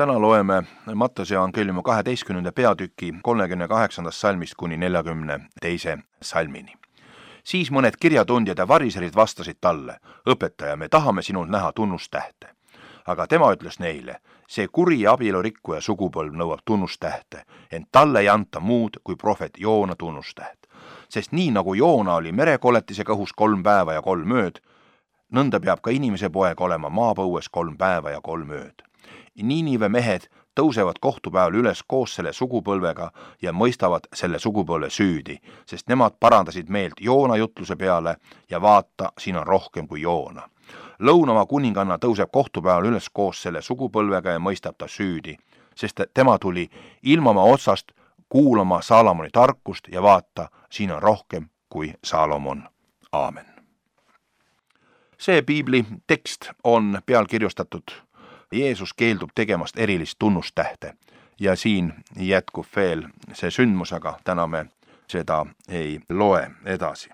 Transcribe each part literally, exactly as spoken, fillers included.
Täna loeme Matteuse evangeeliumi kaheteistkümnenda peatüki kolmekümne kaheksandast salmist kuni neljakümne teise salmini. Siis mõned kirjatundjad ja variserid vastasid talle: õpetaja, me tahame sinult näha tunnustähte. Aga tema ütles neile: see kuri ja abielurikkuja sugupõlv nõuab tunnustähte, ent talle ei anta muud kui prohvet Joona tunnustäht. Sest nii nagu Joona oli merekoletisega õhus kolm päeva ja kolm ööd, nõnda peab ka inimese poeg olema maapõues kolm päeva ja kolm ööd. Niinive mehed tõusevad kohtupäeval üles koos selle sugupõlvega ja mõistavad selle sugupõlve süüdi, sest nemad parandasid meelt Joona jutluse peale ja vaata, siin on rohkem kui Joona. Lõunamaa kuninganna tõuseb kohtupäeval üles koos selle sugupõlvega ja mõistab ta süüdi, sest tema tuli ilmamaa otsast kuulama Saalomoni tarkust ja vaata, siin on rohkem kui Saalomon. Aamen. See piibli tekst on pealkirjustatud Jeesus keeldub tegemast erilist tunnustähte ja siin jätkub veel see sündmus, aga täna me seda ei loe edasi.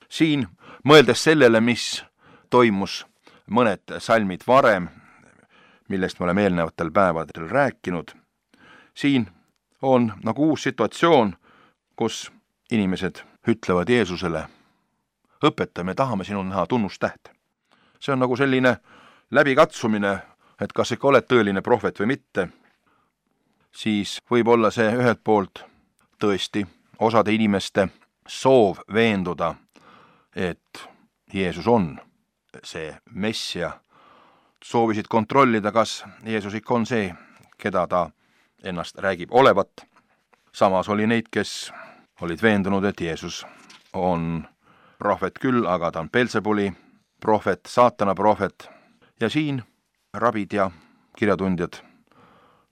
Siin, mõeldes sellele, mis toimus mõned salmid varem, millest me oleme eelnevatel päevadel rääkinud, siin on nagu uus situatsioon, kus inimesed ütlevad Jeesusele: õpetaja, me tahame sinul näha tunnustähte. See on nagu selline läbikatsumine, et kas ikka oled tõeline prohvet või mitte. Siis võib olla see ühelt poolt tõesti osade inimeste soov veenduda, et Jeesus on see Messia. Soovisid kontrollida, kas Jeesus ikka on see, keda ta ennast räägib olevat. Samas oli neid, kes olid veendunud, et Jeesus on prohvet küll, aga ta on Belzebuli prohvet, saatana prohvet. Ja siin rabid ja kirjatundjad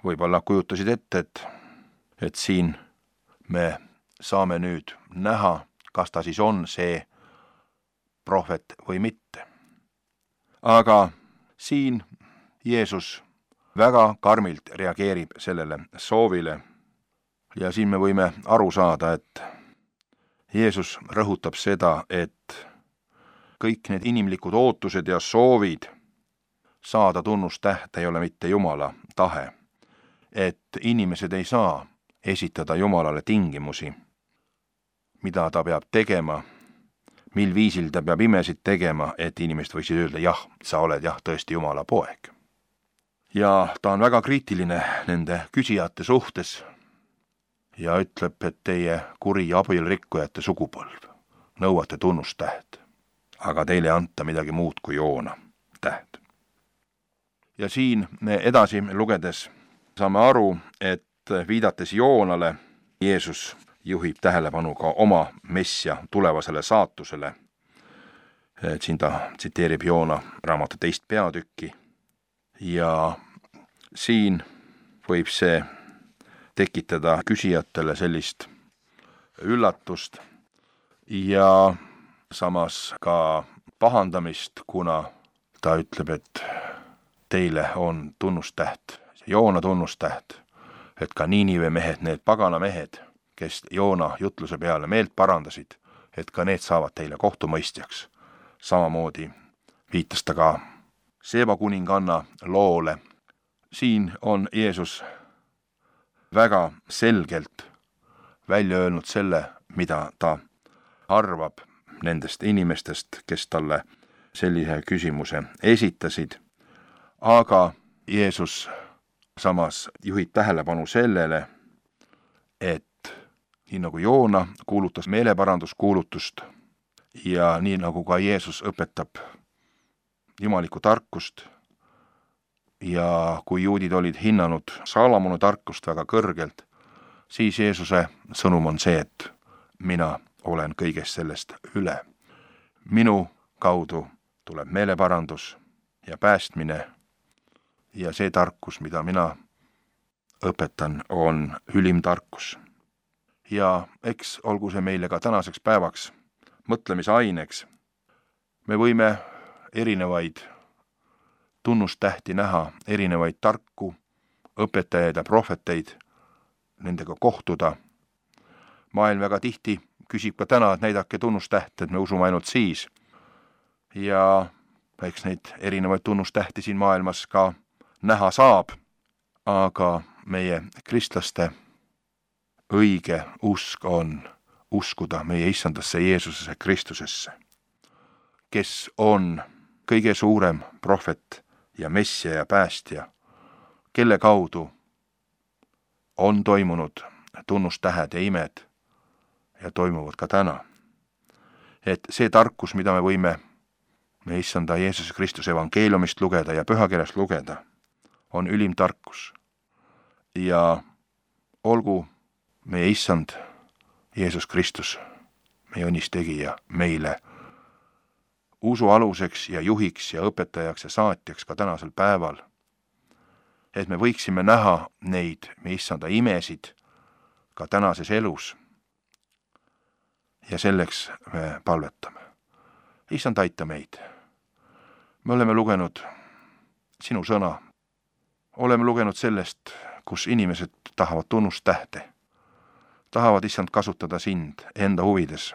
võib-olla kujutasid ette, et, et siin me saame nüüd näha, kas ta siis on see prohvet või mitte. Aga siin Jeesus väga karmilt reageerib sellele soovile ja siin me võime aru saada, et Jeesus rõhutab seda, et kõik need inimlikud ootused ja soovid saada tunnustähte ei ole mitte Jumala tahe, et inimesed ei saa esitada Jumalale tingimusi, mida ta peab tegema, mil viisil ta peab imesid tegema, et inimesed võiksid öelda: jah, sa oled jah tõesti Jumala poeg. Ja ta on väga kriitiline nende küsijate suhtes ja ütleb, et teie kuri ja abielurikkujate sugupõlv nõuate tunnustäht, aga teile ei anta midagi muud kui Joona täht. Ja siin me edasi lugedes saame aru, et viidates Joonale, Jeesus juhib tähelepanu ka oma Messia tulevasele saatusele. Et siin ta tsiteerib Joona raamatu teist peatükki ja siin võib see tekitada küsijatele sellist üllatust ja samas ka pahandamist, kuna ta ütleb, et teile on tunnustäht, Joona tunnustäht, et ka Niinive mehed, need pagana mehed, kes Joona jutluse peale meelt parandasid, et ka need saavad teile kohtumõistjaks. Samamoodi viitas ta ka Seeba kuninganna loole. Siin on Jeesus väga selgelt välja öelnud selle, mida ta arvab nendest inimestest, kes talle sellise küsimuse esitasid. Aga Jeesus samas juhib tähelepanu sellele, et nii nagu Joona kuulutas meeleparanduskuulutust ja nii nagu ka Jeesus õpetab jumalikku tarkust ja kui juudid olid hinnanud Saalomoni tarkust väga kõrgelt, siis Jeesuse sõnum on see, et mina olen kõigest sellest üle. Minu kaudu tuleb meeleparandus ja päästmine ja see tarkus, mida mina õpetan, on ülim tarkus. Ja eks olgu see meile ka tänaseks päevaks mõtlemisaineks. Me võime erinevaid tunnustähti näha, erinevaid tarku, õpetajaid ja prohveteid, nendega kohtuda. Maailm väga tihti küsib ka täna, et näidake tunnustähte, et me usume ainult siis. Ja eks neid erinevaid tunnustähti siin maailmas ka näha saab, aga meie kristlaste õige usk on uskuda meie issandasse Jeesusesse Kristusesse, kes on kõige suurem prohvet ja messia ja päästja, kelle kaudu on toimunud tunnustähed ja imed ja toimuvad ka täna. Et see tarkus, mida me võime me issanda Jeesuse Kristuse evangeeliumist lugeda ja pühakirjast lugeda, on ülim tarkus. Ja olgu meie issand Jeesus Kristus, meie õnnistegija, meile usu aluseks ja juhiks ja õpetajaks ja saatjaks ka tänasel päeval, et me võiksime näha neid me issanda imesid ka tänases elus. Ja selleks me palvetame. Issand, aita meid. Me oleme lugenud sinu sõna. Oleme lugenud sellest, kus inimesed tahavad tunnustähte. Tahavad issand kasutada sind enda huvides.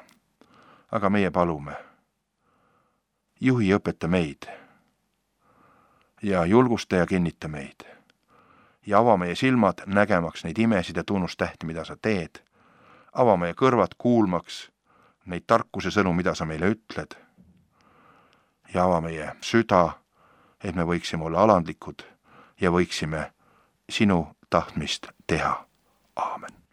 Aga meie palume. Juhi õpeta meid. Ja julgusta ja kinnita meid. Ja ava meie silmad nägemaks neid imesid ja tunnustähti, mida sa teed. Ava meie kõrvad kuulmaks neid tarkuse sõnu, mida sa meile ütled. Ja ava meie süda, et me võiksime olla alandlikud ja võiksime sinu tahtmist teha. Aamen.